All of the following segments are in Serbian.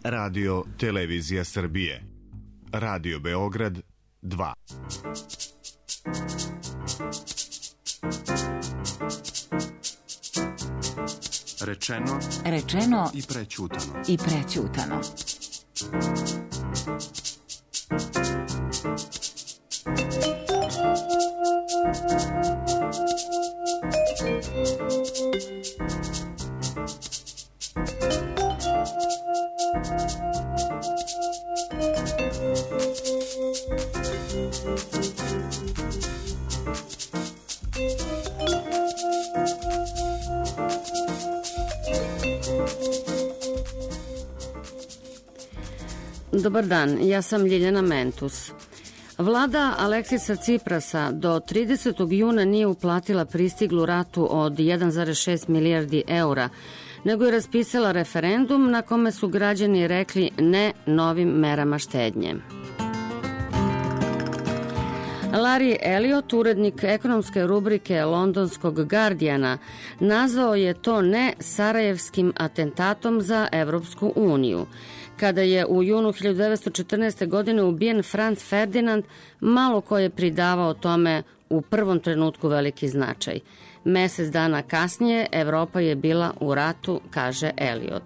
Radio Televizija Srbije. Radio Beograd 2. Rečeno i prećutano. Dobar dan, ja sam Ljiljana Mentus. Vlada Aleksisa Ciprasa do 30. juna nije uplatila pristiglu ratu od 1,6 milijardi eura, nego je raspisala referendum na kome su građani rekli ne novim merama štednje. Larry Elliot, urednik ekonomske rubrike londonskog Guardiana, nazvao je to ne sarajevskim atentatom za Evropsku uniju. Kada je u junu 1914. godine ubijen Franz Ferdinand, malo ko je pridavao tome u prvom trenutku veliki značaj. Mesec dana kasnije Evropa je bila u ratu, kaže Elliot.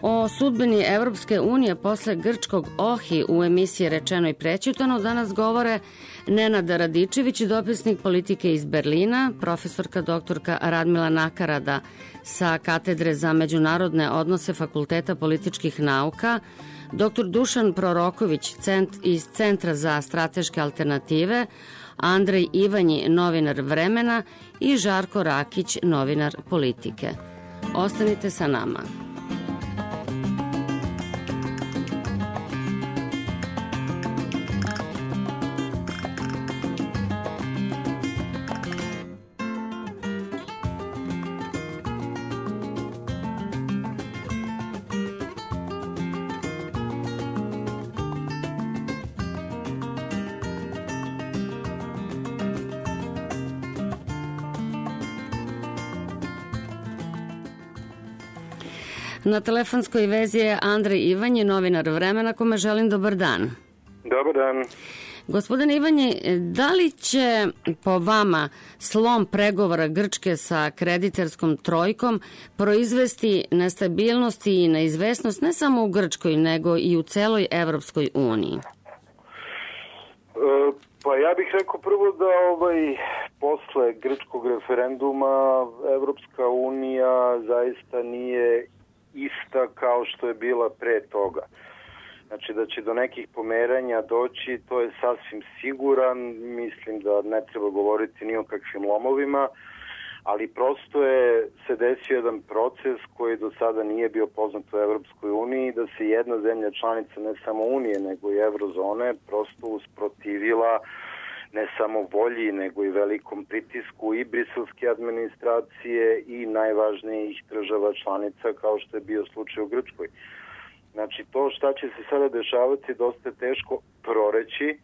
O sudbini Evropske unije posle grčkog Ohi u emisiji Rečeno i prećutano danas govore Nenad Radičević, dopisnik politike iz Berlina, profesorka doktorka Radmila Nakarada sa katedre za međunarodne odnose Fakulteta političkih nauka, dr. Dušan Proroković iz Centra za strateške alternative, Andrej Ivanji, novinar Vremena i Žarko Rakić, novinar Politike. Ostanite sa nama. Na telefonskoj vezi je Andrej Ivanji, novinar Vremena, kome želim dobar dan. Dobar dan. Gospodine Ivanji, da li će po vama slom pregovora Grčke sa kreditarskom trojkom proizvesti nestabilnost i neizvesnost ne samo u Grčkoj, nego i u celoj Evropskoj uniji? Pa ja bih rekao prvo da posle grčkog referenduma Evropska unija zaista nije ista kao što je bila pre toga. Znači da će do nekih pomeranja doći, to je sasvim siguran, mislim da ne treba govoriti ni o kakvim lomovima, ali prosto se desio jedan proces koji do sada nije bio poznat u Evropskoj uniji, da se jedna zemlja članica ne samo Unije nego i Eurozone prosto usprotivila ne samo volji, nego i velikom pritisku i briselske administracije i najvažnijih država članica, kao što je bio slučaj u Grčkoj. Znači, to šta će se sada dešavati dosta je teško proreći.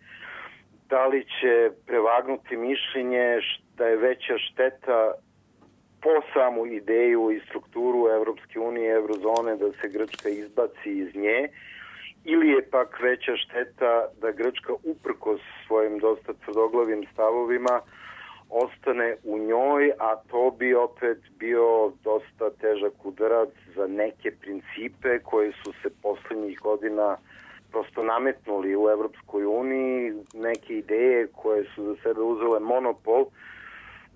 Da li će prevagnuti mišljenje da je veća šteta po samu ideju i strukturu Evropske unije i Eurozone da se Grčka izbaci iz nje, ili je pak veća šteta da Grčka uprkos svojim dosta tvrdoglavim stavovima ostane u njoj, a to bi opet bio dosta težak udarac za neke principe koje su se poslednjih godina prosto nametnuli u Evropskoj uniji, neke ideje koje su za sebe uzele monopol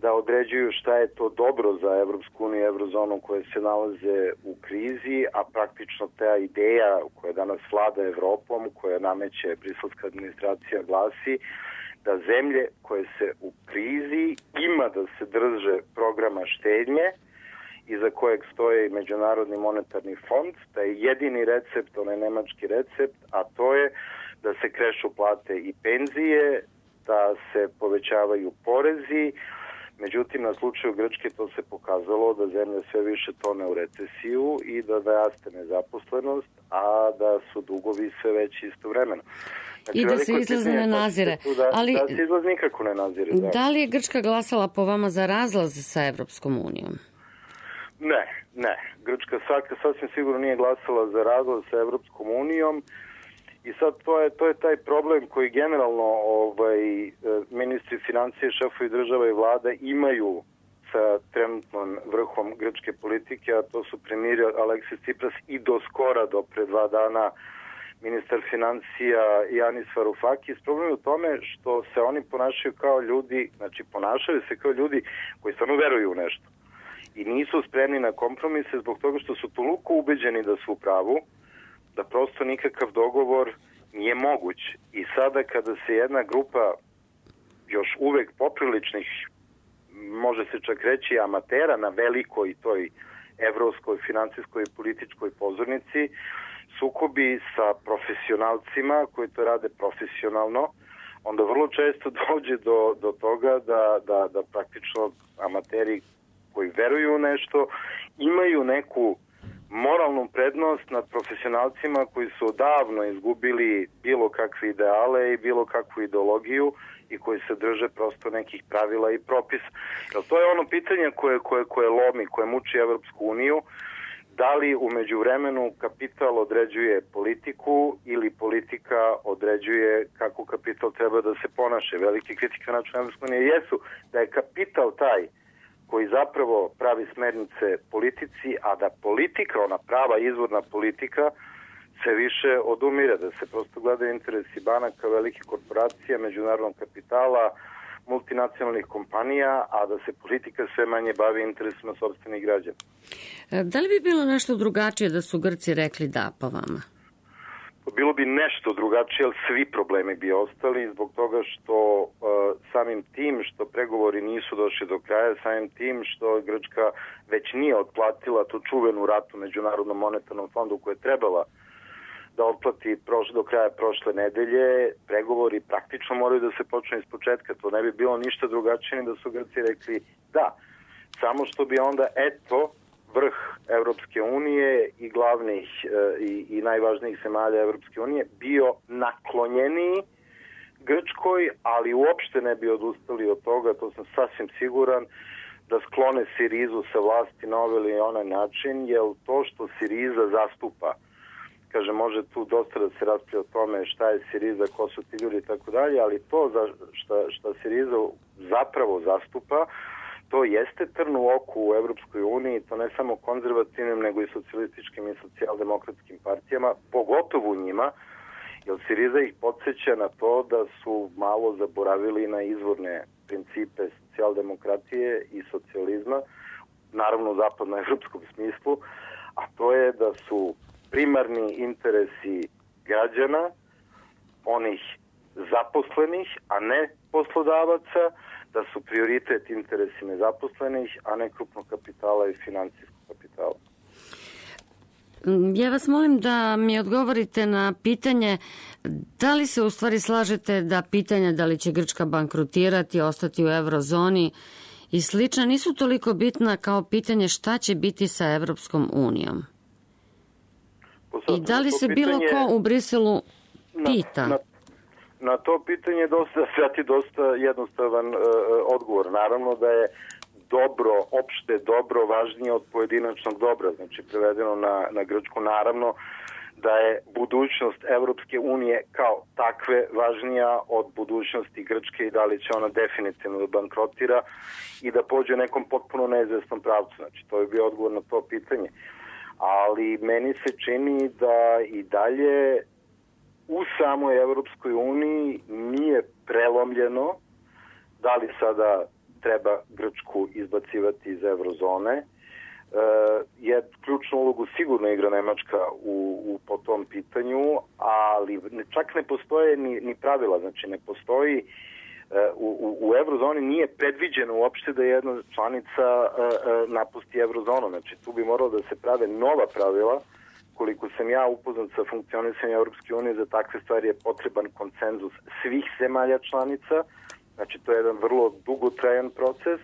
da određuju šta je to dobro za Evropsku uniju i Eurozonu koje se nalaze u krizi, a praktično ta ideja koja danas vlada Evropom, koja nameće briselska administracija, glasi da zemlje koje se u krizi ima da se drže programa štednje iza kojeg stoje Međunarodni monetarni fond, da je jedini recept, onaj nemački recept, a to je da se krešu plate i penzije, da se povećavaju porezi. Međutim, na slučaju Grčke to se pokazalo da zemlja sve više tone u recesiju i da raste nezaposlenost, a da su dugovi sve veći istovremeno. Znači, i da se izlaz ne nazire. Da se izlaz nikako ne nazire. Da li je Grčka glasala po vama za razlaz sa Evropskom unijom? Ne. Grčka sasvim sigurno nije glasala za razlaz sa Evropskom unijom i sad to je taj problem koji generalno ministri financije, šefovi država i vlada imaju sa trenutnom vrhom grčke politike, a to su premijer Aleksis Tsipras i do skora, do pre 2 dana, ministar financija Janis Varoufakis. Problem je u tome što se oni ponašaju kao ljudi, znači ponašaju se kao ljudi koji stvarno veruju u nešto i nisu spremni na kompromise zbog toga što su toliko ubeđeni da su u pravu, da prosto nikakav dogovor nije moguć. I sada kada se jedna grupa još uvek popriličnih, može se čak reći amatera na velikoj toj evropskoj, financijskoj i političkoj pozornici, sukobi sa profesionalcima koji to rade profesionalno, onda vrlo često dođe do toga da praktično amateri koji veruju u nešto imaju neku moralnu prednost nad profesionalcima koji su odavno izgubili bilo kakve ideale i bilo kakvu ideologiju i koji se drže prosto nekih pravila i propisa. Jer to je ono pitanje koje lomi, koje muči Evropsku uniju, da li u međuvremenu kapital određuje politiku ili politika određuje kako kapital treba da se ponaše. Velike kritike na način Evropske unije jesu da je kapital taj koji zapravo pravi smernice politici, a da politika, ona prava izvorna politika, se više odumire, da se prosto gledaju interesi banaka, velike korporacije, međunarodnog kapitala, multinacionalnih kompanija, a da se politika sve manje bavi interesima sopstvenih građana. Da li bi bilo nešto drugačije da su Grci rekli da po vama? Bilo bi nešto drugačije, ali svi problemi bi ostali zbog toga što samim tim što pregovori nisu došli do kraja, samim tim što Grčka već nije otplatila tu čuvenu ratu Međunarodnom monetarnom fondu koje je trebala da otplati do kraja prošle nedelje, pregovori praktično moraju da se počnu iz početka. To ne bi bilo ništa drugačije ni da su Grci rekli da. Samo što bi onda vrh Evropske unije i glavnih i najvažnijih zemalja Evropske unije bio naklonjeniji Grčkoj, ali uopšte ne bi odustali od toga, to sam sasvim siguran, da sklone Sirizu sa vlasti na ovaj ili onaj način, jer to što Siriza zastupa, kaže, može tu dosta da se raspravlja o tome šta je Siriza, ko su ti ljudi i tako dalje, ali to što Siriza zapravo zastupa, to jeste trn u oku u Evropskoj uniji, to ne samo konzervativnim, nego i socijalističkim i socijaldemokratskim partijama, pogotovo u njima, jer Siriza ih podsjeća na to da su malo zaboravili na izvorne principe socijaldemokratije i socijalizma, naravno u zapadnoevropskom smislu, a to je da su primarni interesi građana, onih zaposlenih, a ne poslodavaca, da su prioritet interesi nezaposlenih, a ne krupnog kapitala i financijskog kapitala. Ja vas molim da mi odgovorite na pitanje da li se u stvari slažete da pitanja da li će Grčka bankrotirati, ostati u eurozoni i slično nisu toliko bitna kao pitanje šta će biti sa Evropskom unijom. I da li se bilo ko u Briselu pita? Na to pitanje dosta jednostavan odgovor. Naravno da je opšte dobro važnije od pojedinačnog dobra, znači prevedeno na grčku, naravno da je budućnost Evropske unije kao takve važnija od budućnosti Grčke i da li će ona definitivno da bankrotira i da pođe u nekom potpuno neizvesnom pravcu. Znači to je bio odgovor na to pitanje. Ali meni se čini da i dalje u samoj Evropskoj uniji nije prelomljeno da li sada treba Grčku izbacivati iz eurozone. Je ključnu ulogu sigurno igra Nemačka po tom pitanju, ali čak ne postoje ni pravila, znači ne postoji u eurozoni nije predviđeno uopšte da jedna članica napusti eurozonu, znači tu bi moralo da se prave nova pravila. Koliko sam ja upoznat sa funkcionisanjem Evropske unije, za takve stvari je potreban konsenzus svih zemalja članica, znači to je jedan vrlo dugotrajan proces.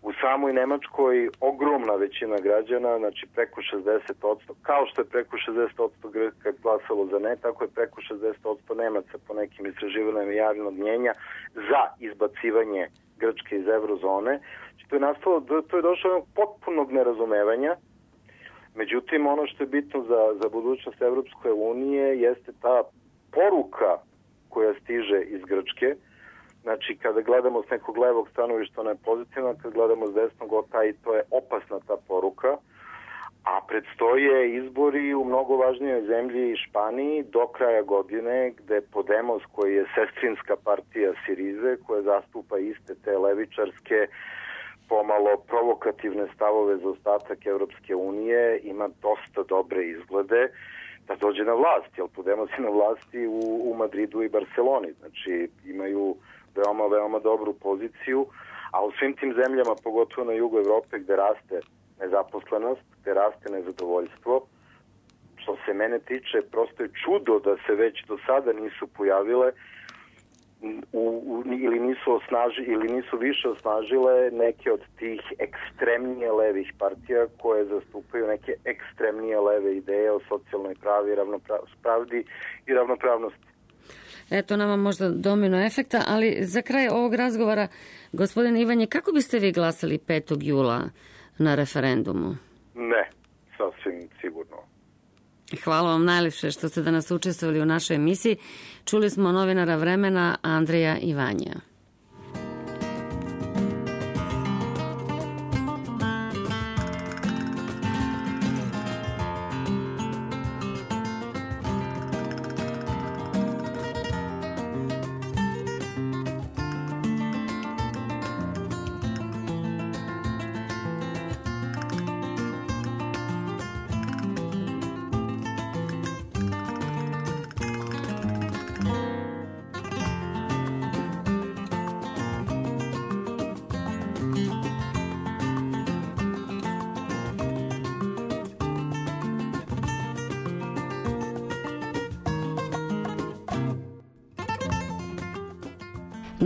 U samoj Nemačkoj ogromna većina građana, znači preko 60%, kao što je preko 60% Grka glasalo za ne, tako je preko 60% Nemaca po nekim istraživanjima javnog mnjenja za izbacivanje Grčke iz eurozone. To je došlo od potpunog nerazumevanja. Međutim, ono što je bitno za budućnost Evropske unije jeste ta poruka koja stiže iz Grčke. Znači, kada gledamo s nekog levog stanovišta, ona je pozitivna, kada gledamo s desnog, to je opasna ta poruka. A predstoje izbori u mnogo važnijoj zemlji Španiji do kraja godine, gde Podemos, koji je sestrinska partija Sirize, koja zastupa iste te levičarske, pomalo provokativne stavove za ostatak Evropske unije, ima dosta dobre izglede da dođe na vlast, jer Podemos je na vlasti u Madridu i Barceloni. Znači, imaju veoma dobru poziciju, a u svim tim zemljama, pogotovo na jugu Evrope, gde raste nezaposlenost, gde raste nezadovoljstvo, što se mene tiče, prosto je čudo da se već do sada nisu pojavile ili nisu više osnažile neke od tih ekstremnije levih partija koje zastupaju neke ekstremnije leve ideje o socijalnoj pravdi i ravnopravnosti. Eto nama možda domino efekta, ali za kraj ovog razgovora, gospodine Ivanje, kako biste vi glasali 5. jula na referendumu? Ne, sasvim sigurno. Hvala vam najljepše što ste danas učestvovali u našoj emisiji. Čuli smo novinara Vremena Andreja Ivanja.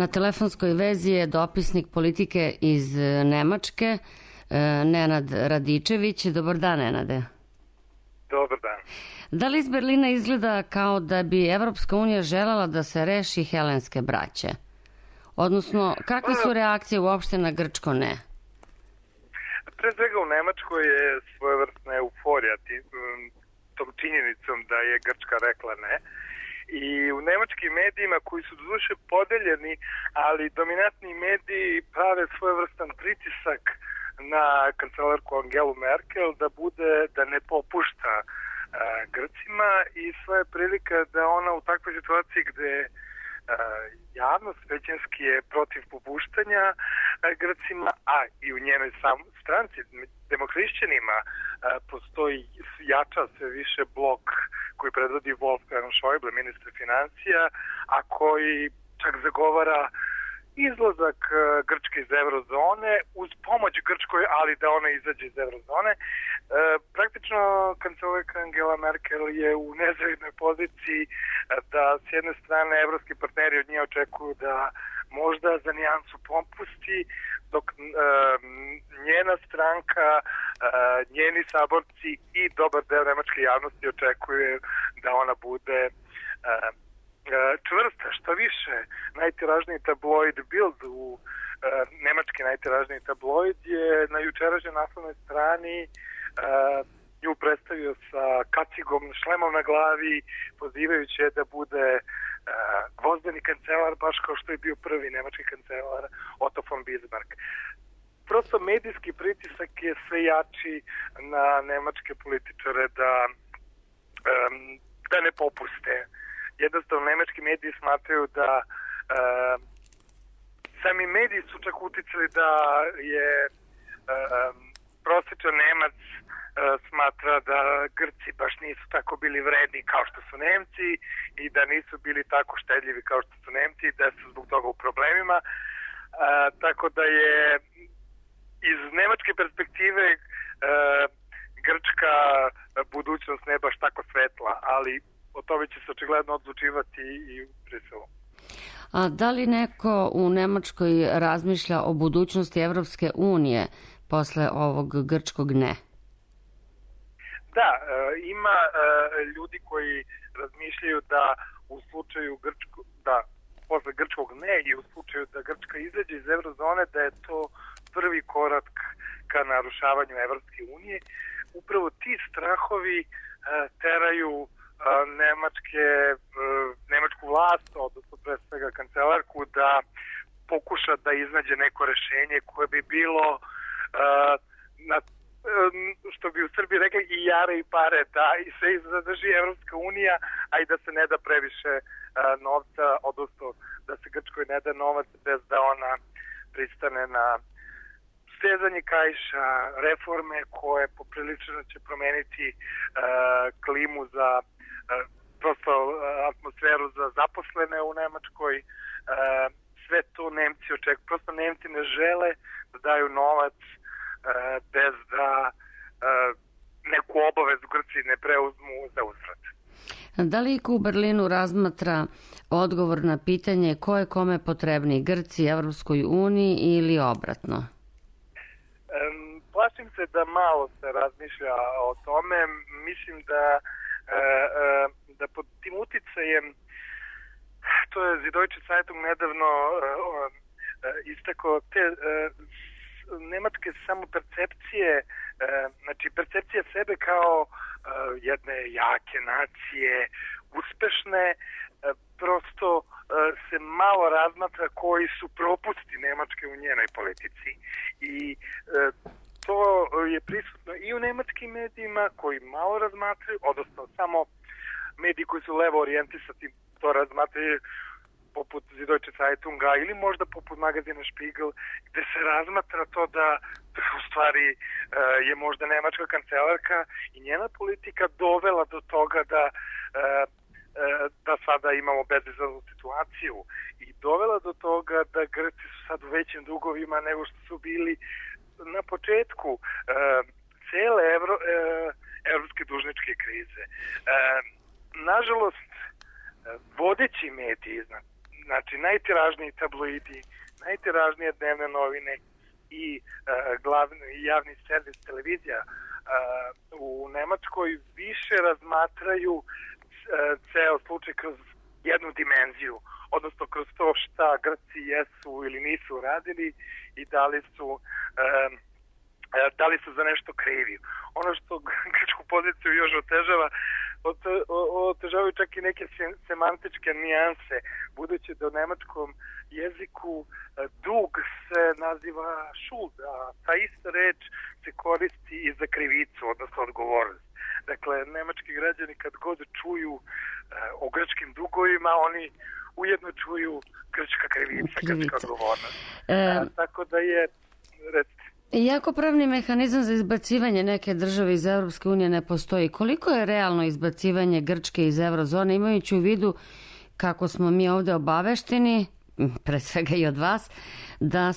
Na telefonskoj vezi je dopisnik politike iz Nemačke, Nenad Radičević. Dobar dan, Nenade. Dobar dan. Da li iz Berlina izgleda kao da bi Evropska unija želela da se reši helenske braće? Odnosno, kakve su reakcije uopšte na grčko ne? Pre svega u Nemačkoj je svojevrsna euforija tom činjenicom da je Grčka rekla ne. I u nemačkim medijima, koji su doduše podeljeni, ali dominantni mediji prave svojevrstan pritisak na kancelarku Angelu Merkel da ne popušta Grcima, i sva je prilika da ona u takvoj situaciji gde javnost većinski je protiv popuštanja Grcima, a i u njenoj stranci, demohrišćanima, postoji jača sve više blok koji predvodi Wolfgang Schäuble, ministar financija, a koji čak zagovara izlazak Grčke iz eurozone uz pomoć Grčkoj, ali da ona izađe iz eurozone. Praktično kancelarka Angela Merkel je u nezavidnoj poziciji da s jedne strane evropski partneri od nje očekuju da možda za nijansu popusti, dok njena stranka, njeni saborci i dobar deo nemačke javnosti očekuje da ona bude čvrsta. Što više, najtiražniji tabloid Bild, nemački najtiražniji tabloid, je na jučerašnjoj naslovnoj strani nju predstavio sa kacigom, šlemom na glavi, pozivajući je da bude gvozdeni kancelar, baš kao što je bio prvi nemački kancelar Otto von Bismarck. Prosto medijski pritisak je sve jači na nemačke političare da ne popuste. Jednostavno, nemački mediji smatraju da sami mediji su čak uticali da je prosječan Nemac smatra da Grci baš nisu tako bili vredni kao što su Nemci i da nisu bili tako štedljivi kao što su Nemci i da su zbog toga u problemima. Tako da je iz nemačke perspektive grčka budućnost ne baš tako svetla, ali o tome će se očigledno odlučivati i u Briselu. A da li neko u Nemačkoj razmišlja o budućnosti Evropske unije posle ovog grčkog ne? Da, ima ljudi koji razmišljaju da u slučaju posle grčkog ne i u slučaju da Grčka izađe iz eurozone, da je to prvi korak ka narušavanju Evropske unije. Upravo ti strahovi teraju nemačku vlast, odnosno pre svega kancelarku, da pokuša da iznađe neko rešenje koje bi bilo što bi u Srbiji rekli i jare i pare, da i se zadrži Evropska unija, a i da se ne da previše novca, odnosno da se Grčkoj ne da novac bez da ona pristane na stezanje kaiša, reforme koje poprilično će promeniti klimu za prosto atmosferu za zaposlene u Nemačkoj. Sve to Nemci očekuju. Prosto Nemci ne žele da daju novac bez da neku obavezu Grci ne preuzmu za uzvrat. Da li u Berlinu razmatra odgovor na pitanje ko je kome potrebni, Grci, Evropskoj uniji ili obratno? Plašim se da malo se razmišlja o tome. Mislim da pod tim uticajem, to je Süddeutsche Zeitung nedavno istakao, te nemačke samo percepcije, znači percepcija sebe kao jedne jake nacije, uspešne, prosto se malo razmatra koji su propusti Nemačke u njenoj politici. I to je prisutno i u nemačkim medijima koji malo razmatraju, odnosno samo mediji koji su levo orijentisani to razmatraju, poput Süddeutsche Zeitunga ili možda poput magazina Spiegel, gde se razmatra to da u stvari je možda nemačka kancelarka i njena politika dovela do toga da sada imamo bezizlaznu situaciju i dovela do toga da Grci su sad u većim dugovima nego što su bili na početku cele evropske dužničke krize. Nažalost, vodeći mediji, znači najtiražniji tabloidi, najtiražnije dnevne novine i glavni javni servis televizija u Nemačkoj više razmatraju ceo slučaj kroz jednu dimenziju, odnosno kroz to šta Grci jesu ili nisu radili i da li su za nešto krivi. Ono što grčku poziciju još otežavaju čak i neke semantičke nijanse, budući da u nemačkom jeziku dug se naziva šuld, a ta ista reč se koristi i za krivicu, odnosno odgovornost. Dakle, nemački građani kad god čuju o grčkim dugovima, oni ujedno čuju grčka krivica. Grčka odgovornost. Tako da je... Iako pravni mehanizam za izbacivanje neke države iz Evropske unije ne postoji, koliko je realno izbacivanje Grčke iz eurozone, imajući u vidu kako smo mi ovde obavešteni, pre svega i od vas, da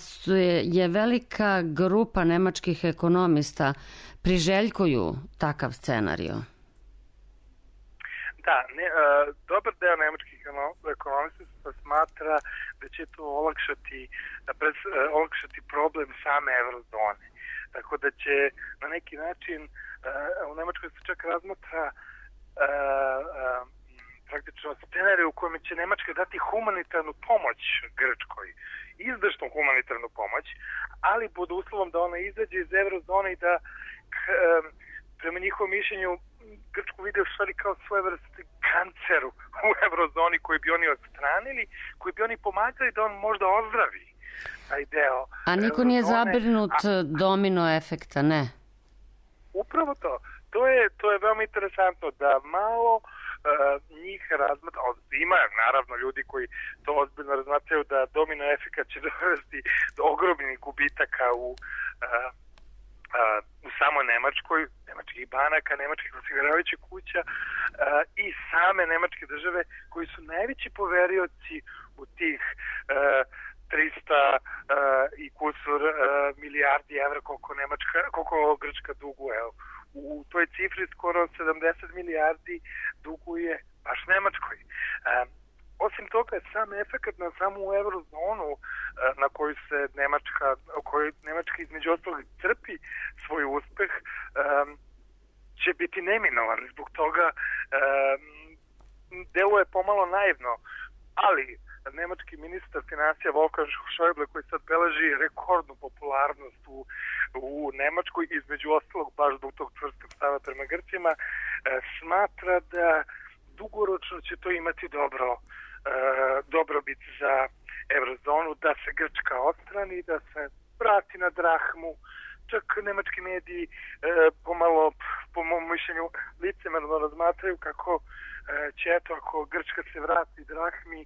je velika grupa nemačkih ekonomista priželjkuju takav scenario? Da, dobar deo nemačkih ekonomista se smatra da će to olakšati problem same eurozone. Tako da će na neki način u Nemačkoj se čak razmatra praktično scenarij u kojem će Nemačka dati humanitarnu pomoć Grčkoj, izdašnu humanitarnu pomoć, ali pod uslovom da ona izađe iz eurozone i da prema njihovom mišljenju Grčku vide u stvari kao svojevrsni kancer u eurozoni koji bi oni odstranili, koji bi oni pomagali da on možda ozdravi taj deo. A niko nije zabrinut domino efekta, ne? Upravo to. To je veoma interesantno da malo njih razmatra. Ima naravno ljudi koji to ozbiljno razmatraju da domino efekt će dovesti do ogromnih gubitaka u samoj Nemačkoj, nemačkih banaka, nemačkih osiguravajućih kuća i same nemačke države koji su najveći poverioci u tih 300 i kusur milijardi evra koliko Grčka duguje. U toj cifri skoro 70 milijardi duguje baš Nemačkoj. Osim toga, sam efekt na samu eurozonu na koju se Nemačka između ostalog crpi svoj uspeh će biti neminovan. Zbog toga deluje pomalo naivno, ali nemački ministar financija Wolfgang Schäuble, koji sad beleži rekordnu popularnost u Nemačkoj, između ostalog baš zbog tog čvrstog stava prema Grcima, smatra da dugoročno će to imati dobrobit za eurozonu, da se Grčka odstrani, da se vrati na drahmu. Čak nemački mediji pomalo, po mom mišljenju, licemerno razmatraju kako će, eto, ako Grčka se vrati drahmi,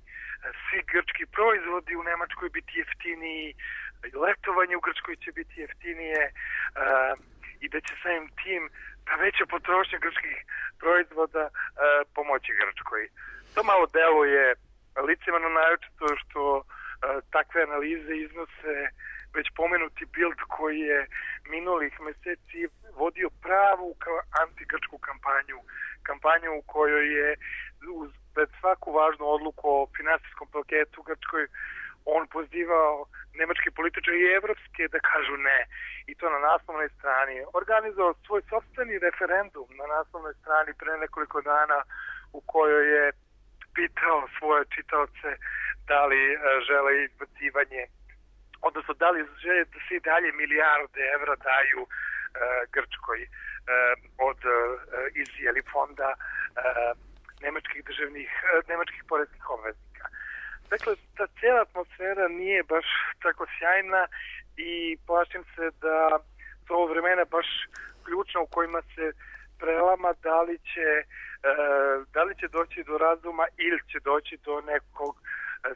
svi grčki proizvodi u Nemačkoj biti jeftiniji, letovanje u Grčkoj će biti jeftinije i da će samim tim ta veća potrošnja grčkih proizvoda pomoći Grčkoj. To malo deluje licemerno, naročito što takve analize iznose već pomenuti Bild, koji je minulih meseci vodio pravu antigrčku kampanju u kojoj je pred svaku važnu odluku o finansijskom paketu Grčkoj on pozivao nemačke političare i evropske da kažu ne. I to na naslovnoj strani. Organizovao svoj sopstveni referendum na naslovnoj strani pre nekoliko dana, u kojoj je pitao svoje čitaoce da li žele izbacivanje, odnosno da li žele da se i dalje milijarde evra daju Grčkoj iz fonda nemačkih poreskih obveznika. Dakle, ta cijela atmosfera nije baš tako sjajna i plašim se da su ovo vremena baš ključna u kojima se prelama da li će doći do razuma ili će doći do nekog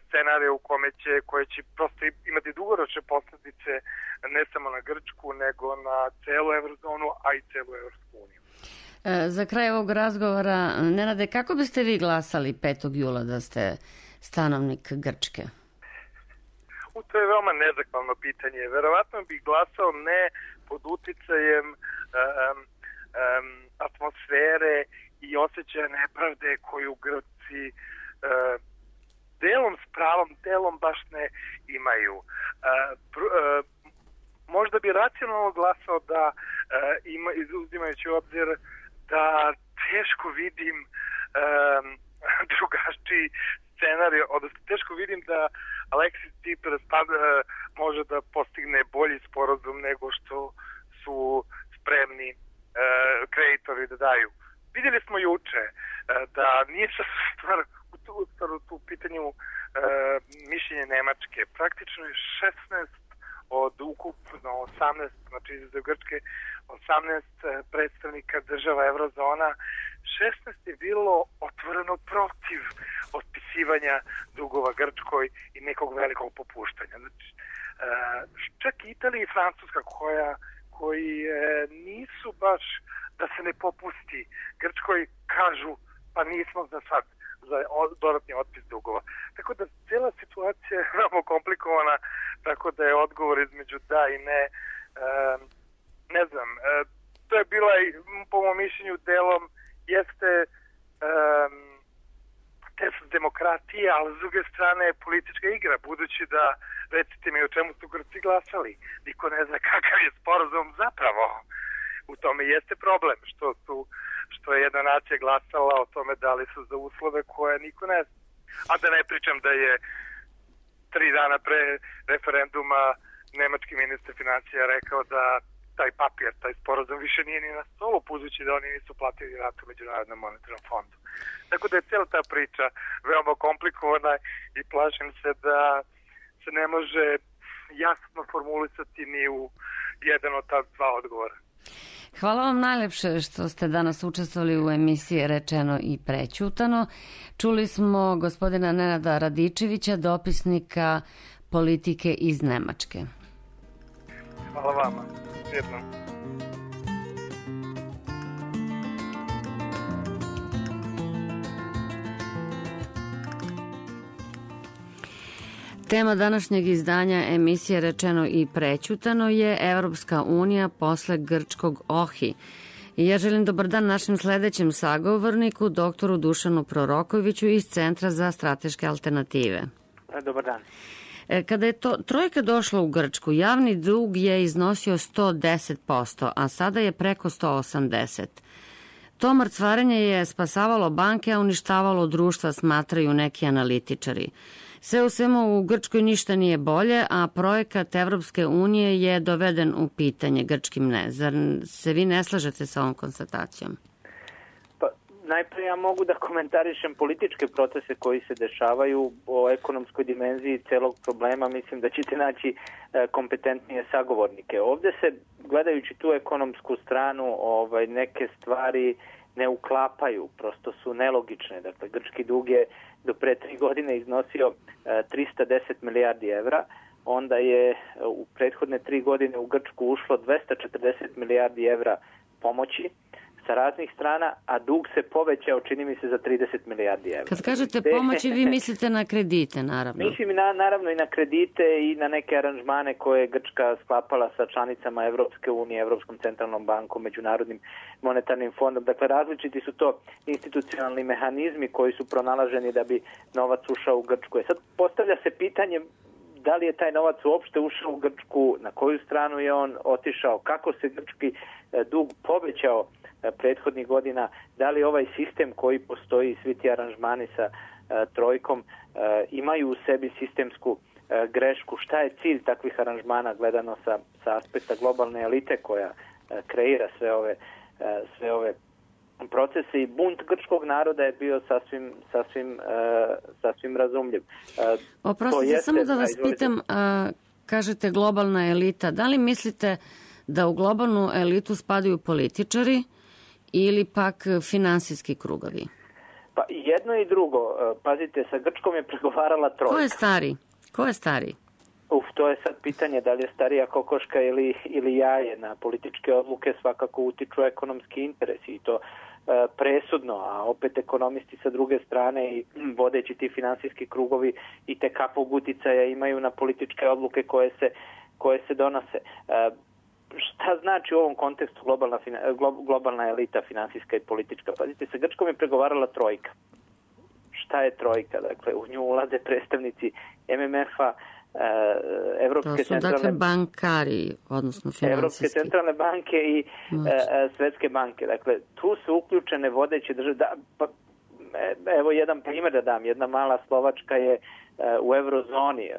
scenarija koje će prosto imati dugoročne posljedice ne samo na Grčku, nego na celu eurozonu, a i celu Evropsku uniju. Za kraj ovog razgovora, Nenade, kako biste vi glasali 5. jula da ste stanovnik Grčke? To je veoma nezahvalno pitanje. Verovatno bih glasao ne pod uticajem atmosfere i osjećaja nepravde koju Grci delom s pravom, delom baš ne imaju. Možda bi racionalno glasao da uzimajući u obzir da teško vidim drugačiji scenarij, odnosno teško vidim da Aleksis Tsipras može da postigne bolji sporazum nego što su spremni kreditori da daju. Vidjeli smo juče da nije stvar u pitanju mišljenje Nemačke. Praktično je 16 od ukupno 18, znači izuzev Grčke, 18 predstavnika država eurozona, 16 je bilo otvoreno protiv otpisivanja dugova Grčkoj i nekog velikog popuštanja. Znači, čak Italija i Francuska koji nisu baš da se ne popusti Grčkoj, kažu pa nismo za sad za dodatni otpis dugova. Tako da cijela situacija je veoma komplikovana, tako da je odgovor između da i ne. Ne znam, to je bila, po mom mišljenju, delom jeste test demokratije, ali s druge strane politička igra, budući da, recite mi o čemu su Grci glasali, niko ne zna kakav je sporazum zapravo. U tome jeste problem, što je jedna nacija glasala o tome da li su za uslove koje niko ne zna. A da ne pričam da je 3 dana pre referenduma nemački ministar financija rekao da taj papir, taj sporazum više nije ni na stolu, budući da oni nisu platili ratu Međunarodnom monetarnom fondu. Tako da je cijela ta priča veoma komplikovana i plašim se da se ne može jasno formulisati ni u jedan od ta dva odgovora. Hvala vam najlepše što ste danas učestvovali u emisiji Rečeno i prećutano. Čuli smo gospodina Nenada Radičevića, dopisnika politike iz Nemačke. Hvala vama. Jednom. Tema današnjeg izdanja emisije Rečeno i prećutano je Evropska unija posle grčkog Ohi. I ja želim dobar dan našem sledećem sagovorniku, doktoru Dušanu Prorokoviću iz Centra za strateške alternative. Dobar dan. Kada je trojka došla u Grčku, javni dug je iznosio 110%, a sada je preko 180%. To mrcvarenje je spasavalo banke, a uništavalo društva, smatraju neki analitičari. Sve u svemu u Grčkoj ništa nije bolje, a projekat Evropske unije je doveden u pitanje, grčkim ne. Zar se vi ne slažete sa ovom konstatacijom? Najprije ja mogu da komentarišem političke procese koji se dešavaju o ekonomskoj dimenziji celog problema. Mislim da ćete naći kompetentnije sagovornike. Ovde se, gledajući tu ekonomsku stranu, neke stvari ne uklapaju, prosto su nelogične. Dakle, grčki dug je do pre 3 godine iznosio 310 milijardi evra, onda je u prethodne 3 godine u Grčku ušlo 240 milijardi evra pomoći sa raznih strana, a dug se povećao, čini mi se, za 30 milijardi evra. Kad kažete pomoći, vi mislite na kredite, naravno. Mislim naravno i na kredite i na neke aranžmane koje je Grčka sklapala sa članicama Evropske unije, Evropskom centralnom bankom, Međunarodnim monetarnim fondom. Dakle, različiti su to institucionalni mehanizmi koji su pronalaženi da bi novac ušao u Grčku. Sad postavlja se pitanje da li je taj novac uopšte ušao u Grčku, na koju stranu je on otišao, kako se grčki dug povećao prethodnih godina, da li ovaj sistem koji postoji, svi ti aranžmani sa trojkom, imaju u sebi sistemsku grešku, šta je cilj takvih aranžmana gledano sa aspekta globalne elite koja kreira sve ove procese, i bunt grčkog naroda je bio sasvim razumljiv. Oprostite, samo da vas pitam, kažete globalna elita, da li mislite da u globalnu elitu spadaju političari ili pak finansijski krugovi? Pa jedno i drugo. Pazite, sa Grčkom je pregovarala trojka. Ko je stari? To je sad pitanje da li je starija kokoška ili jaje. Na političke odluke svakako utiču ekonomski interesi i to presudno, a opet ekonomisti sa druge strane i vodeći ti finansijski krugovi i tekakvog uticaja imaju na političke odluke koje se donose. Šta znači u ovom kontekstu globalna elita finansijska i politička? Pazite, sa Grčkom je pregovarala trojka. Šta je trojka? Dakle, u nju ulaze predstavnici MMF-a, Evropske centralne... To su dakle bankari, odnosno finansijski. Evropske centralne banke i Svetske banke. Dakle, tu su uključene vodeće države. Evo jedan primjer da dam. Jedna mala Slovačka je u eurozoni.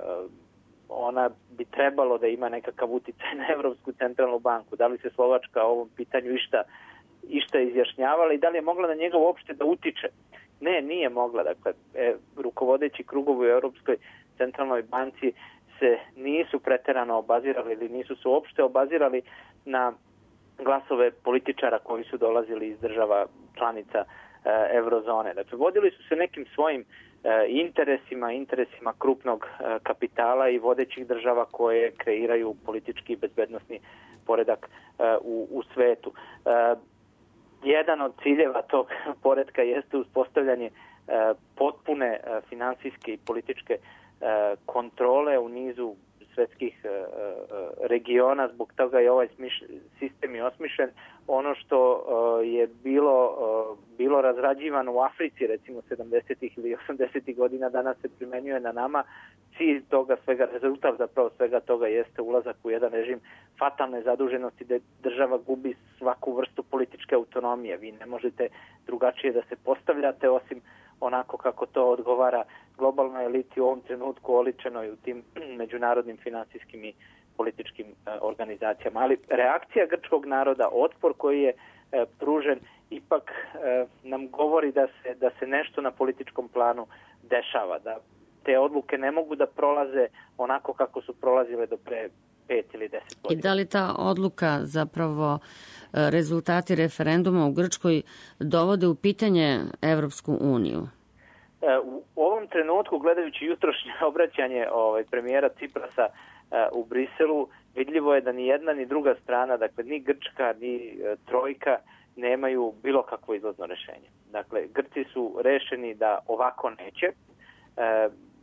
Ona bi trebalo da ima nekakav uticaj na Evropsku centralnu banku. Da li se Slovačka o ovom pitanju išta izjašnjavala i da li je mogla na njega uopšte da utiče? Ne, nije mogla. Dakle, rukovodeći krugovi u Evropskoj centralnoj banci se nisu preterano obazirali ili nisu se uopšte obazirali na glasove političara koji su dolazili iz država članica eurozone. Dakle, vodili su se nekim svojim interesima krupnog kapitala i vodećih država koje kreiraju politički i bezbednosni poredak u svetu. Jedan od ciljeva tog poretka jeste uspostavljanje potpune finansijske i političke kontrole u nizu svetskih regiona, zbog toga je ovaj sistem i osmišljen. Ono što je bilo razrađivano u Africi, recimo 70. ili 80. godina, danas se primenjuje na nama. Cilj toga svega, rezultat zapravo svega toga jeste ulazak u jedan režim fatalne zaduženosti gde država gubi svaku vrstu političke autonomije. Vi ne možete drugačije da se postavljate osim onako kako to odgovara globalnoj eliti u ovom trenutku oličenoj u tim međunarodnim finansijskim i političkim organizacijama. Ali reakcija grčkog naroda, otpor koji je pružen, ipak nam govori da se nešto na političkom planu dešava, da te odluke ne mogu da prolaze onako kako su prolazile do pre 5 ili 10 godina. I da li ta odluka, zapravo rezultati referenduma u Grčkoj, dovode u pitanje Evropsku uniju? U ovom trenutku, gledajući jutrošnje obraćanje premijera Ciprasa u Briselu, vidljivo je da ni jedna ni druga strana, dakle ni Grčka ni trojka, nemaju bilo kakvo izlazno rešenje. Dakle, Grci su rešeni da ovako neće,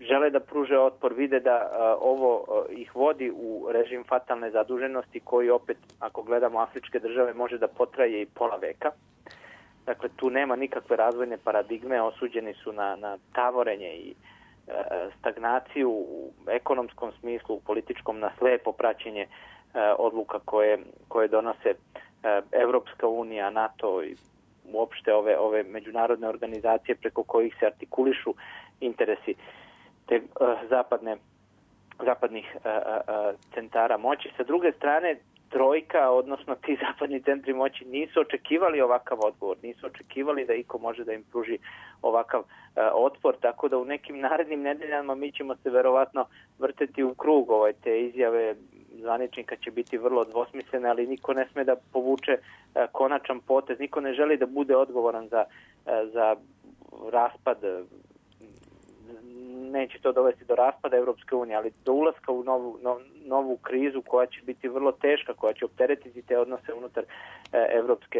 žele da pruže otpor, vide da ovo ih vodi u režim fatalne zaduženosti koji opet, ako gledamo afričke države, može da potraje i pola veka. Dakle, tu nema nikakve razvojne paradigme, osuđeni su na tavorenje i stagnaciju u ekonomskom smislu, u političkom, na slepo praćenje odluka koje donose Evropska unija, NATO i uopšte ove međunarodne organizacije preko kojih se artikulišu interesi. te zapadnih centara moći. Sa druge strane, trojka, odnosno ti zapadni centri moći nisu očekivali ovakav odgovor, nisu očekivali da iko može da im pruži ovakav otpor, tako da u nekim narednim nedeljama mi ćemo se verovatno vrteti u krug. Te izjave zvaničnika će biti vrlo dvosmislene, ali niko ne sme da povuče konačan potez, niko ne želi da bude odgovoran za raspad. Neće to dovesti do raspada Evropske unije, ali do ulaska u novu krizu koja će biti vrlo teška, koja će opteretiti te odnose unutar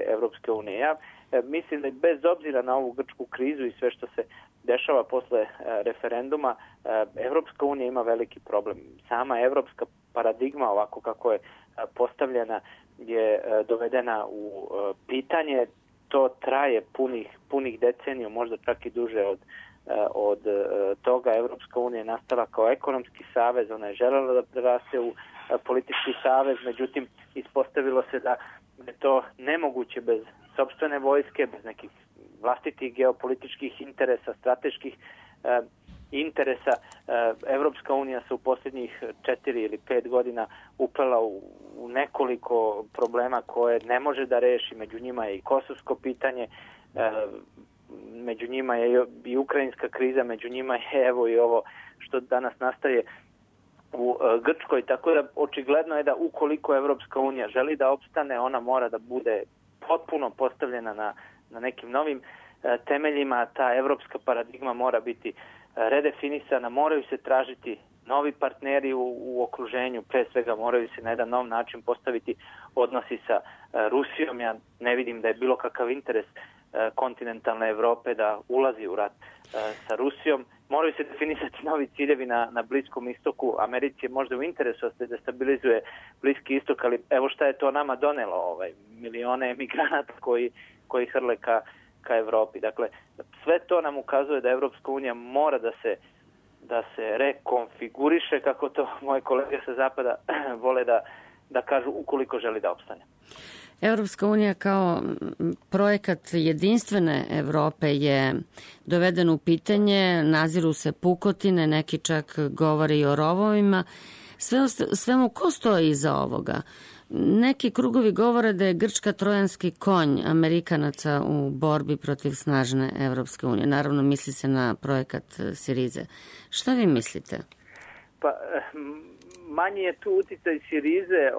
Evropske unije. Ja mislim da bez obzira na ovu grčku krizu i sve što se dešava posle referenduma, Evropska unija ima veliki problem. Sama evropska paradigma, ovako kako je postavljena, je dovedena u pitanje. To traje punih deceniju, možda čak i duže od toga. Evropska unija je nastala kao ekonomski savez, ona je želela da preraste u politički savez, međutim ispostavilo se da je to nemoguće bez sopstvene vojske, bez nekih vlastitih geopolitičkih interesa, strateških interesa. Evropska unija se u posljednjih 4 ili 5 godina uplela u nekoliko problema koje ne može da reši. Među njima je i kosovsko pitanje, među njima je i ukrajinska kriza, među njima je evo i ovo što danas nastaje u Grčkoj, tako da očigledno je da ukoliko Evropska unija želi da opstane, ona mora da bude potpuno postavljena na nekim novim temeljima. Ta evropska paradigma mora biti redefinisana, moraju se tražiti novi partneri u okruženju, pre svega moraju se na jedan nov način postaviti odnosi sa Rusijom. Ja ne vidim da je bilo kakav interes kontinentalne Evrope da ulazi u rat sa Rusijom. Moraju se definisati novi ciljevi na Bliskom istoku. Americi je možda u interesu da se destabilizuje Bliski istok, ali evo šta je to nama donelo, milione emigranata koji hrle ka Evropi. Dakle, sve to nam ukazuje da Evropska unija mora da se rekonfiguriše, kako to moje kolege sa zapada vole da kažu, ukoliko želi da opstane. Evropska unija kao projekat jedinstvene Evrope je doveden u pitanje, naziru se pukotine, neki čak govore i o rovovima. Svemu ko stoji iza ovoga? Neki krugovi govore da je Grčka trojanski konj Amerikanaca u borbi protiv snažne Evropske unije. Naravno, misli se na projekat Sirize. Šta vi mislite? Pa, manji je tu uticaj Sirize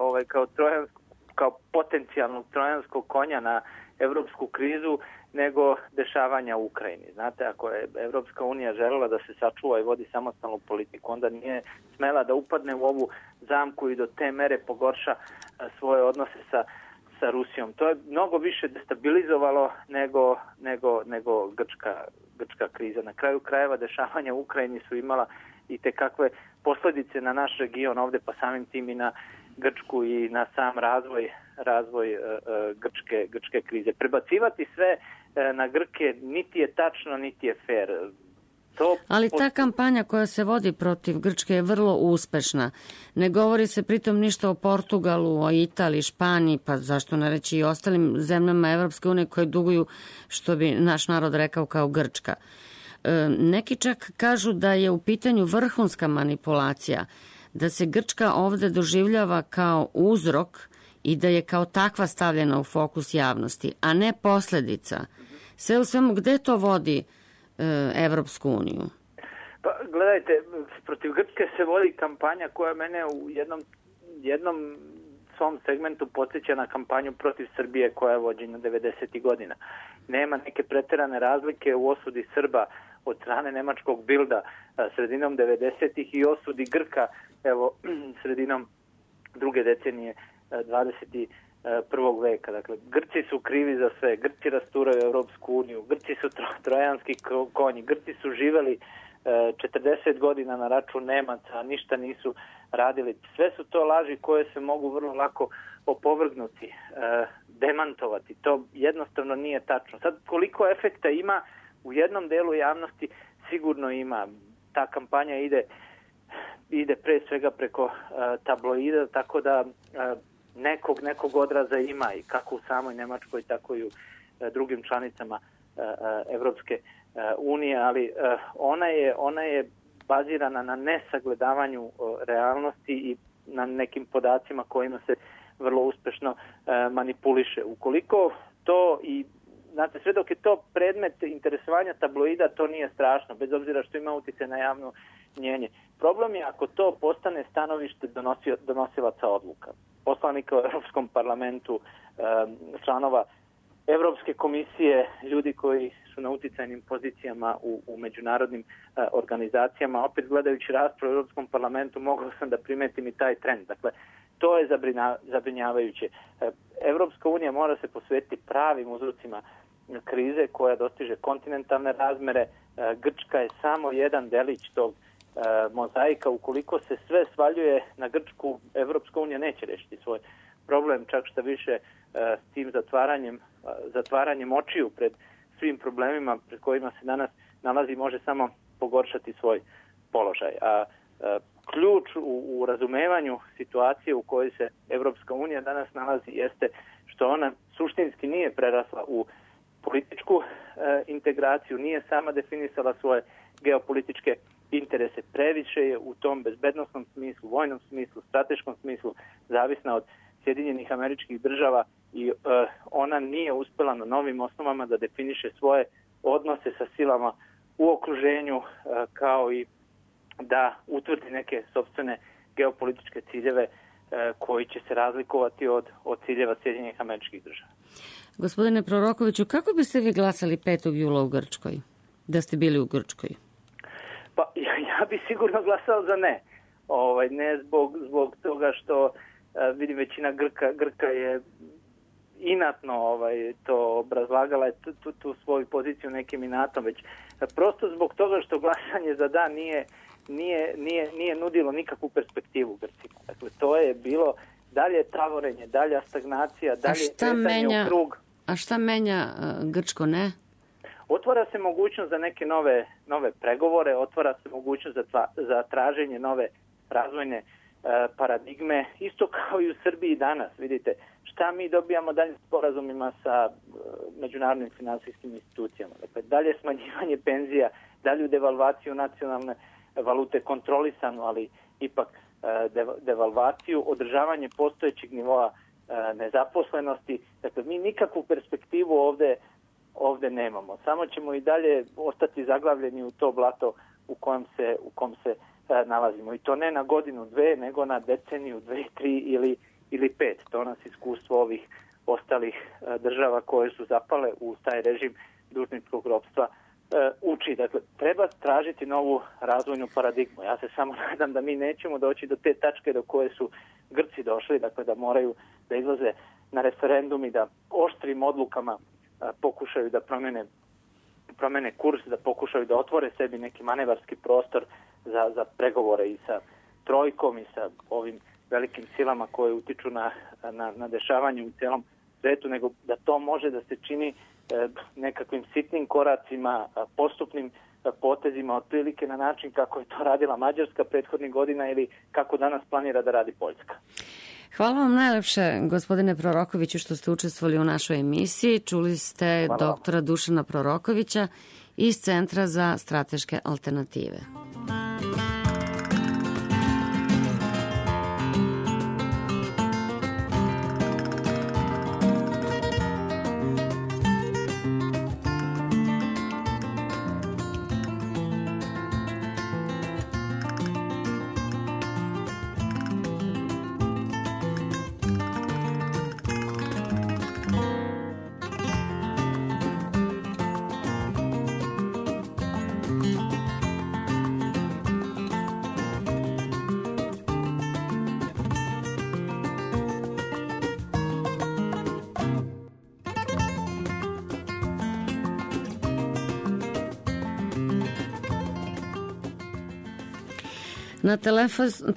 kao potencijalnog trojanskog konja na evropsku krizu nego dešavanja u Ukrajini. Znate, ako je Evropska unija želela da se sačuva i vodi samostalnu politiku, onda nije smela da upadne u ovu zamku i do te mere pogorša svoje odnose sa Rusijom. To je mnogo više destabilizovalo nego grčka kriza. Na kraju krajeva dešavanja u Ukrajini su imala i te kakve posljedice na naš region ovde, pa samim tim i na Grčku i na sam razvoj grčke krize. Prebacivati sve na Grke niti je tačno, niti je fair. Ali ta kampanja koja se vodi protiv Grčke je vrlo uspešna. Ne govori se pritom ništa o Portugalu, o Italiji, Španiji, pa zašto ne reći i ostalim zemljama Evropske unije koje duguju, što bi naš narod rekao, kao Grčka. Neki čak kažu da je u pitanju vrhunska manipulacija, da se Grčka ovde doživljava kao uzrok i da je kao takva stavljena u fokus javnosti, a ne posledica. Sve u svemu, gde to vodi Evropsku uniju? Pa, gledajte, protiv Grčke se vodi kampanja koja mene u jednom svom segmentu podsjeća na kampanju protiv Srbije koja je vođena 90. godina. Nema neke preterane razlike u osudi Srba od strane nemačkog Bilda sredinom 90-ih i osudi Grka sredinom druge decenije 21. veka. Dakle, Grci su krivi za sve, Grci rasturaju Evropsku uniju, Grci su trojanski konji, Grci su živeli 40 godina na račun Nemaca, ništa nisu radili. Sve su to laži koje se mogu vrlo lako opovrgnuti, demantovati. To jednostavno nije tačno. Sad, koliko efekta ima u jednom delu javnosti, sigurno ima. Ta kampanja ide pre svega preko tabloida, tako da nekog odraza ima i kako u samoj Nemačkoj, tako i u drugim članicama Evropske unije, ali ona je bazirana na nesagledavanju realnosti i na nekim podacima kojima se vrlo uspešno manipuliše. Ukoliko to i znate, sve dok je to predmet interesovanja tabloida, to nije strašno, bez obzira što ima utjecaj na javno mnjenje. Problem je ako to postane stanovište donosilaca odluka. Poslanika u Europskom parlamentu, članova Evropske komisije, ljudi koji su na uticajnim pozicijama u međunarodnim organizacijama. Opet gledajući raspravu u Europskom parlamentu mogao sam da primetim i taj trend. Dakle, to je zabrinjavajuće. Evropska unija mora se posvetiti pravim uzrocima krize koja dostiže kontinentalne razmere. Grčka je samo jedan delić tog mozaika. Ukoliko se sve svaljuje na Grčku, Evropska unija neće rešiti svoj problem, čak što više s tim zatvaranjem očiju pred svim problemima pred kojima se danas nalazi može samo pogoršati svoj položaj. A ključ u razumevanju situacije u kojoj se Evropska unija danas nalazi jeste što ona suštinski nije prerasla u političku integraciju, nije sama definisala svoje geopolitičke interese. Previše je u tom bezbednosnom smislu, vojnom smislu, strateškom smislu zavisna od Sjedinjenih Američkih Država i ona nije uspela na novim osnovama da definiše svoje odnose sa silama u okruženju kao i da utvrdi neke sopstvene geopolitičke ciljeve koji će se razlikovati od ciljeva Sjedinjenih Američkih Država. Gospodine Prorokoviću, kako biste vi glasali 5. jula u Grčkoj, da ste bili u Grčkoj? Pa ja bi sigurno glasao za ne. Ne zbog toga što vidim većina Grka je inatno to obrazlagala tu svoju poziciju nekim inatom, već prosto zbog toga što glasanje za da nije nudilo nikakvu perspektivu Grcima. Dakle, to je bilo dalje tavorenje, dalja stagnacija, dalje kretanje u krug. A šta menja Grčko ne? Otvara se mogućnost za neke nove pregovore, otvara se mogućnost za traženje nove razvojne paradigme, isto kao i u Srbiji danas. Vidite, šta mi dobijamo dalje sporazumima sa međunarodnim finansijskim institucijama. Dakle, dalje smanjivanje penzija, dalju devalvaciju nacionalne valute, kontrolisanu, ali ipak devalvaciju, održavanje postojećeg nivoa nezaposlenosti. Dakle, mi nikakvu perspektivu ovde nemamo. Samo ćemo i dalje ostati zaglavljeni u to blato u kom se nalazimo. I to ne na godinu, dve, nego na deceniju, 2, 3 ili 5. To nas iskustvo ovih ostalih država koje su zapale u taj režim dužničkog ropstva uči. Dakle, treba tražiti novu razvojnu paradigmu. Ja se samo nadam da mi nećemo doći do te tačke do koje su Grci došli, dakle da moraju da izlaze na referendum i da oštrim odlukama pokušaju da promene kurs, da pokušaju da otvore sebi neki manevarski prostor za pregovore i sa trojkom i sa ovim velikim silama koje utiču na dešavanje u celom svetu, nego da to može da se čini nekakvim sitnim koracima, postupnim potezima, otprilike na način kako je to radila Mađarska prethodnih godina ili kako danas planira da radi Poljska. Hvala vam najlepše, gospodine Prorokoviću, što ste učestvovali u našoj emisiji. Čuli ste doktora Dušana Prorokovića iz Centra za strateške alternative. Na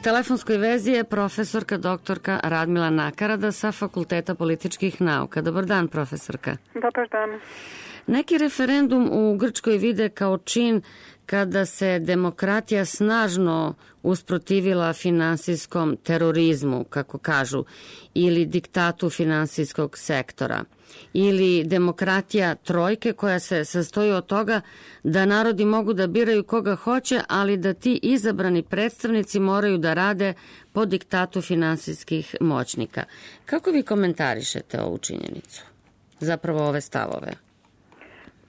telefonskoj vezi je profesorka doktorka Radmila Nakarada sa Fakulteta političkih nauka. Dobar dan, profesorka. Dobar dan. Neki referendum u Grčkoj vide kao čin kada se demokratija snažno usprotivila finansijskom terorizmu, kako kažu, ili diktatu finansijskog sektora. ili demokratija trojke koja se sastoji od toga da narodi mogu da biraju koga hoće, ali da ti izabrani predstavnici moraju da rade po diktatu finansijskih moćnika. Kako vi komentarišete ovu činjenicu? Zapravo ove stavove?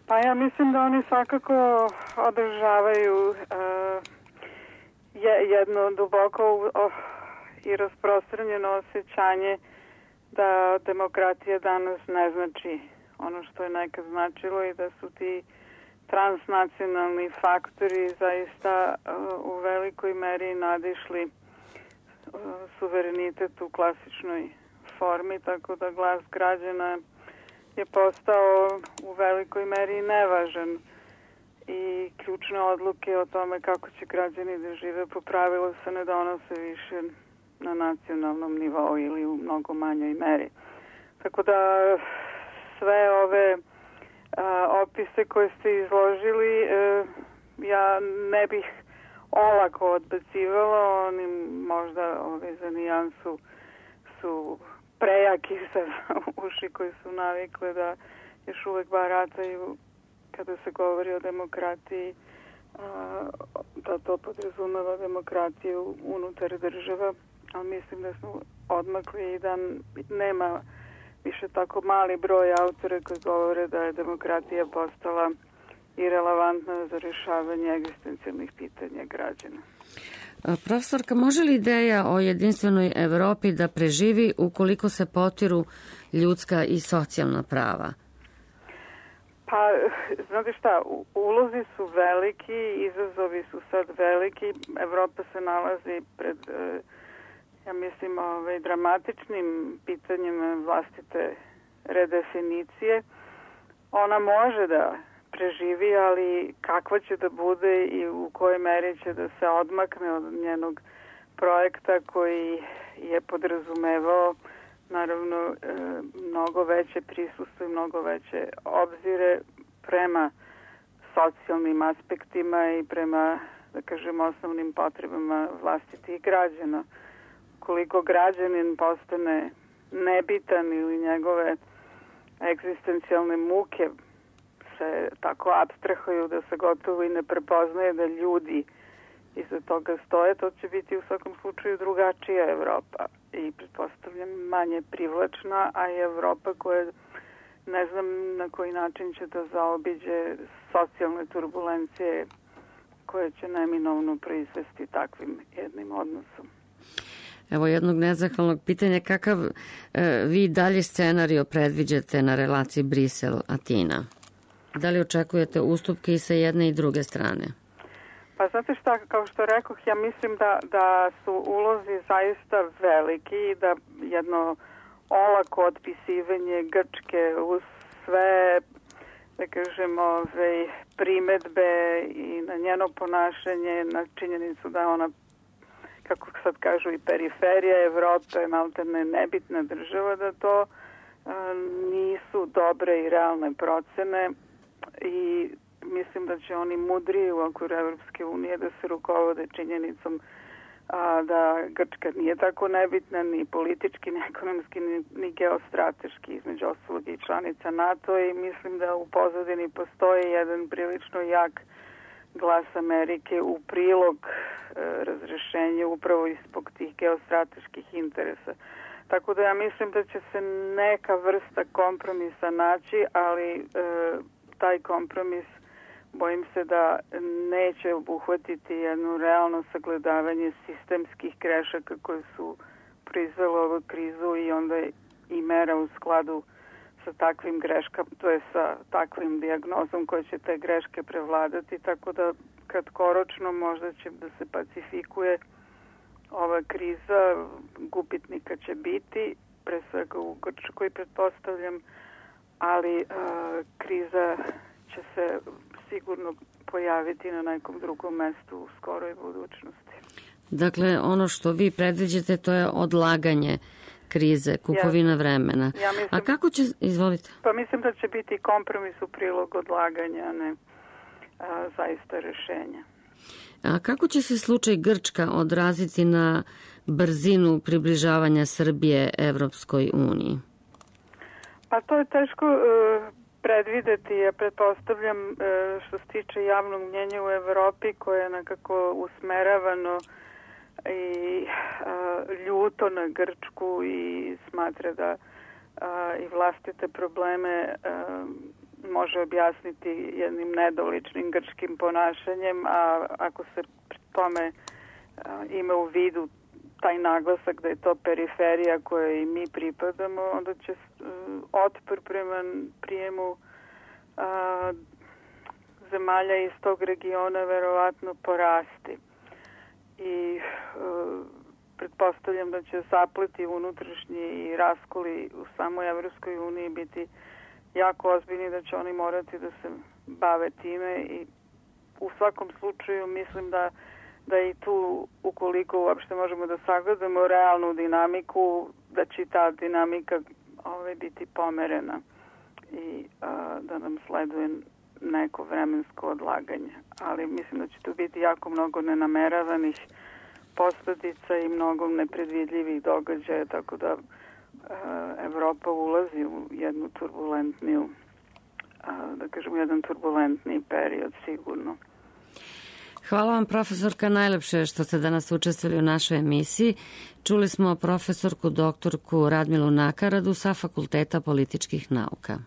Pa ja mislim da oni svakako održavaju jedno duboko i rasprostranjeno osjećanje da demokratija danas ne znači ono što je nekad značilo i da su ti transnacionalni faktori zaista u velikoj meri nadišli suverenitet u klasičnoj formi, tako da glas građana je postao u velikoj meri nevažan i ključne odluke o tome kako će građani da žive po pravilu se ne donose više na nacionalnom nivou ili u mnogo manjoj meri. Tako da sve ove opise koje ste izložili ja ne bih olako odbacivala, oni možda za nijansu su prejaki za uši koji su navikle da još uvek barataju kada se govori o demokratiji, da to podrazumeva demokratiju unutar država, ali mislim da smo odmakli i da nema više tako mali broj autora koji govore da je demokratija postala irelevantna za rješavanje egzistencijalnih pitanja građana. Profesorka, može li ideja o jedinstvenoj Evropi da preživi ukoliko se potiru ljudska i socijalna prava? Pa, znate šta, ulozi su veliki, izazovi su sad veliki, Evropa se nalazi pred, ja mislim, dramatičnim pitanjima vlastite redefinicije. Ona može da preživi, ali kakva će da bude i u kojoj meri će da se odmakne od njenog projekta koji je podrazumevao naravno mnogo veće prisustvo i mnogo veće obzire prema socijalnim aspektima i prema, da kažem, osnovnim potrebama vlastitih građana. Koliko građanin postane nebitan ili njegove egzistencijalne muke se tako abstrahuju da se gotovo i ne prepoznaje da ljudi iza toga stoje, to će biti u svakom slučaju drugačija Evropa i pretpostavljam manje privlačna, a i Evropa koja ne znam na koji način će da zaobiđe socijalne turbulencije koje će neminovno proizvesti takvim jednim odnosom. Evo jednog nezahvalnog pitanja, kakav vi dalje scenario predviđate na relaciji Brisel-Atina? Da li očekujete ustupke i sa jedne i druge strane? Pa znate šta, kao što rekoh, ja mislim da su ulozi zaista veliki i da jedno olako otpisivanje Grčke uz sve, da kažem, primetbe i na njeno ponašanje, na činjenicu da ona, kako sad kažu, i periferija Evrope, maltene nebitna država, da to nisu dobre i realne procene i mislim da će oni mudriji u okviru Evropske unije da se rukovode činjenicom da Grčka nije tako nebitna ni politički, ni ekonomski, ni geostrateški, između ostalog i članica NATO, i mislim da u pozadini postoji jedan prilično jak glas Amerike u prilog razrešenju upravo zbog tih geostrateških interesa. Tako da ja mislim da će se neka vrsta kompromisa naći, ali taj kompromis bojim se da neće obuhvatiti jedno realno sagledavanje sistemskih grešaka koje su proizvele ovu krizu i onda i mera u skladu sa takvim greškama, to je sa takvim dijagnozom koje će te greške prevladati, tako da kratkoročno možda će da se pacifikuje ova kriza, gubitnika će biti, pre svega u Grčkoj pretpostavljam, ali kriza će se sigurno pojaviti na nekom drugom mestu u skoroj budućnosti. Dakle, ono što vi predviđate, to je odlaganje krize, kupovina vremena. Ja mislim, a kako će, izvolite? Pa mislim da će biti kompromis u prilog odlaganja, a ne zaista rešenja. A kako će se slučaj Grčka odraziti na brzinu približavanja Srbije Evropskoj uniji? Pa to je teško predvideti, ja pretpostavljam što se tiče javnog mnjenja u Evropi koje je nekako usmeravano i ljuto na Grčku i smatra da i vlastite probleme može objasniti jednim nedoličnim grčkim ponašanjem, a ako se pri tome ima u vidu taj naglasak da je to periferija kojoj i mi pripadamo, onda će otpor prema prijemu zemalja iz tog regiona verovatno porasti. I pretpostavljam da će zapleti unutrašnji i raskoli u samoj Evropskoj uniji biti jako ozbiljni, da će oni morati da se bave time i u svakom slučaju mislim da i tu, ukoliko uopšte možemo da sagledamo realnu dinamiku, da će ta dinamika biti pomerena i da nam sleduje neko vremensko odlaganje. Ali mislim da će tu biti jako mnogo nenameravanih posledica i mnogo nepredvidljivih događaja, tako da Evropa ulazi u jednu turbulentniju, da kažemo, jedan turbulentniji period sigurno. Hvala vam, profesorka, najlepše što ste danas učestvovali u našoj emisiji. Čuli smo profesorku doktorku Radmilu Nakaradu sa Fakulteta političkih nauka.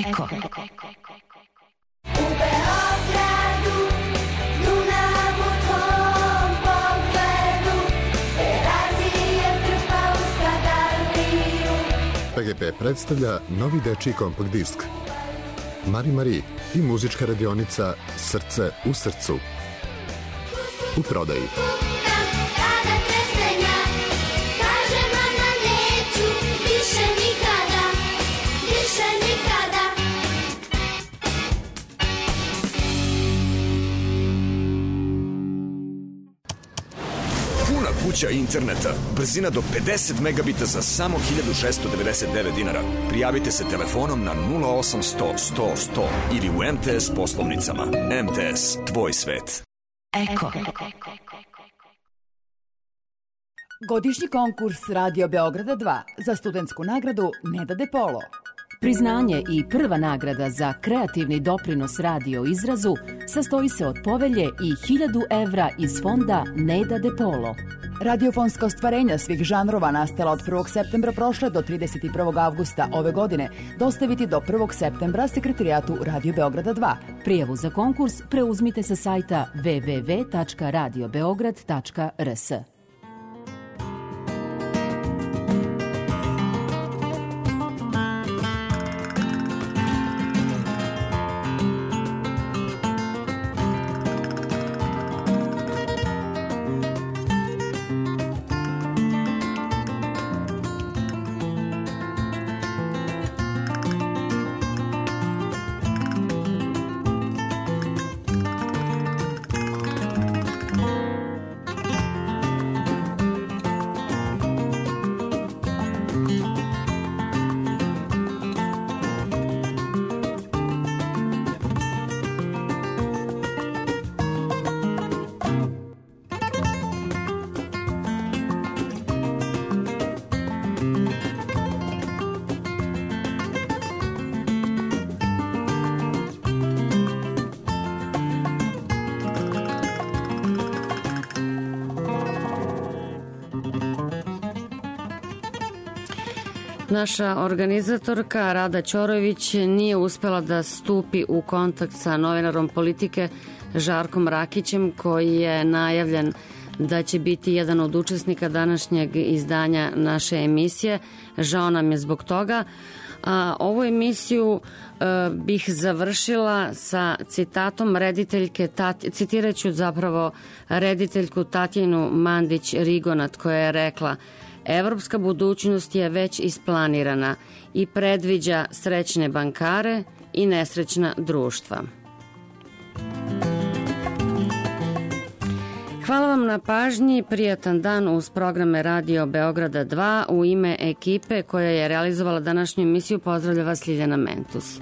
Eko. U Beogradu, Dunav u tvom pogledu, Terazije trpa u Skadarliju. PGP predstavlja novi dečiji kompakt disk Mari Mari i muzička radionica Srce u srcu. U prodaji. Kuća interneta, brzina do 50 megabita za samo 1699 dinara. Prijavite se telefonom na 0800 100 100 ili u MTS poslovnicama. MTS, tvoj svet. Eko. Godišnji konkurs Radio Beograda 2 za studentsku nagradu Neda De Polo. Priznanje i prva nagrada za kreativni doprinos radio izrazu sastoji se od povelje i 1000 evra iz fonda Neda De Polo. Radiofonska ostvarenja svih žanrova nastala od 1. septembra prošle do 31. avgusta ove godine dostaviti do 1. septembra Sekretarijatu Radio Beograda 2. Prijavu za konkurs preuzmite sa sajta www.radiobeograd.rs. Naša organizatorka Rada Ćorović nije uspela da stupi u kontakt sa novinarom Politike Žarkom Rakićem, koji je najavljen da će biti jedan od učesnika današnjeg izdanja naše emisije. Žao nam je zbog toga. Ovu emisiju bih završila sa citatom rediteljke, citiraću zapravo rediteljku Tatjanu Mandić-Rigonat, koja je rekla: evropska budućnost je već isplanirana i predviđa srećne bankare i nesrećna društva. Hvala vam na pažnji, prijatan dan uz programe Radio Beograda 2. U ime ekipe koja je realizovala današnju emisiju pozdravlja vas Ljiljana Mentus.